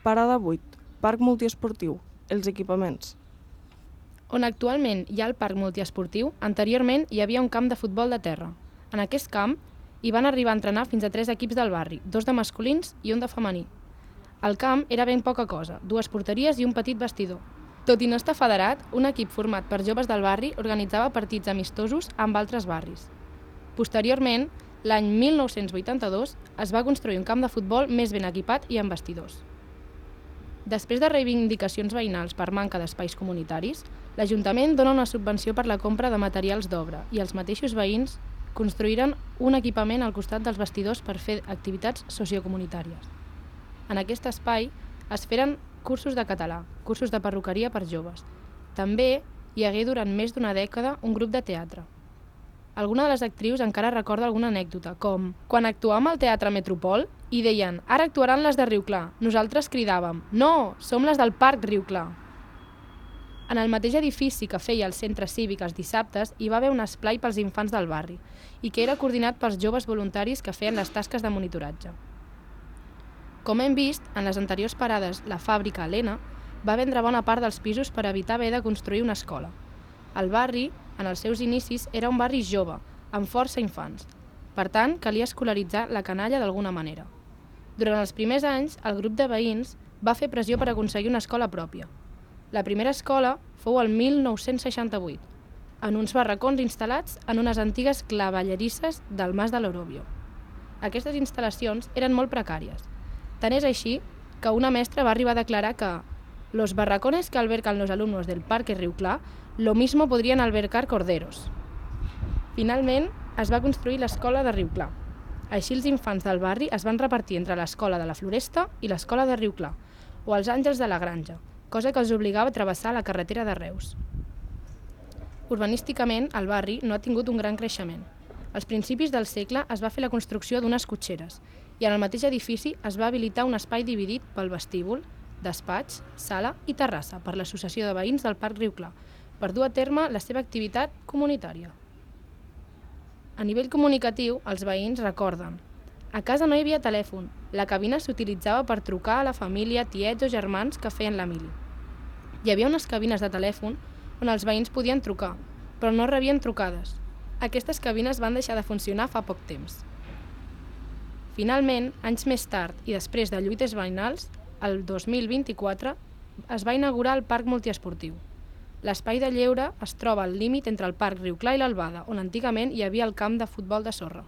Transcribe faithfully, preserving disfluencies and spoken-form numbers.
Parada vuit. Parc multiesportiu. Els equipaments. On actualment hi ha el parc multiesportiu, anteriorment hi havia un camp de futbol de terra. En aquest camp hi van arribar a entrenar fins a tres equips del barri, dos de masculins i un de femení. El camp era ben poca cosa, dues porteries i un petit vestidor. Tot i no estar federat, un equip format per joves del barri organitzava partits amistosos amb altres barris. Posteriorment, l'any mil nou-cents vuitanta-dos, es va construir un camp de futbol més ben equipat i amb vestidors. Després de reivindicacions veïnals per manca d'espais comunitaris, l'Ajuntament dona una subvenció per la compra de materials d'obra i els mateixos veïns construïren un equipament al costat dels vestidors per fer activitats sociocomunitàries. En aquest espai es feren cursos de català, cursos de perruqueria per joves. També hi hagué durant més d'una dècada un grup de teatre. Alguna de les actrius encara recorda alguna anècdota, com quan actuàvem al Teatre Metropol i deien «Ara actuaran les de Riu Clar». Nosaltres cridàvem «No, som les del Parc Riu Clar». En el mateix edifici que feia el centre cívic els dissabtes hi va haver un esplai pels infants del barri i que era coordinat pels joves voluntaris que feien les tasques de monitoratge. Com hem vist, en les anteriors parades, la fàbrica Helena va vendre bona part dels pisos per evitar haver de construir una escola. El barri, en els seus inicis, era un barri jove, amb força infants. Per tant, calia escolaritzar la canalla d'alguna manera. Durant els primers anys, el grup de veïns va fer pressió per aconseguir una escola pròpia. La primera escola fou el mil nou-cents seixanta-vuit, en uns barracons instal·lats en unes antigues clavellerisses del Mas de l'Orobio. Aquestes instal·lacions eren molt precàries. Tant és així que una mestra va arribar a declarar que «Los barracones que albercan los alumnos del Parque Riu Clar lo mismo podrien albercar corderos». Finalment, es va construir l'escola de Riu Clar. Així els infants del barri es van repartir entre l'escola de la Floresta i l'escola de Riu Clar, o els Àngels de la Granja, cosa que els obligava a travessar la carretera de Reus. Urbanísticament, el barri no ha tingut un gran creixement. Als principis del segle es va fer la construcció d'unes cotxeres i en el mateix edifici es va habilitar un espai dividit pel vestíbul, despatx, sala i terrassa per l'Associació de Veïns del Parc Riu Clar, per dur a terme la seva activitat comunitària. A nivell comunicatiu, els veïns recorden a casa no hi havia telèfon, la cabina s'utilitzava per trucar a la família, tiets o germans que feien la mili. Hi havia unes cabines de telèfon on els veïns podien trucar, però no rebien trucades. Aquestes cabines van deixar de funcionar fa poc temps. Finalment, anys més tard i després de lluites veïnals, el dos mil vint-i-quatre es va inaugurar el Parc Multiesportiu. L'espai de lleure es troba al límit entre el Parc Riu Clar i l'Albada, on antigament hi havia el camp de futbol de sorra.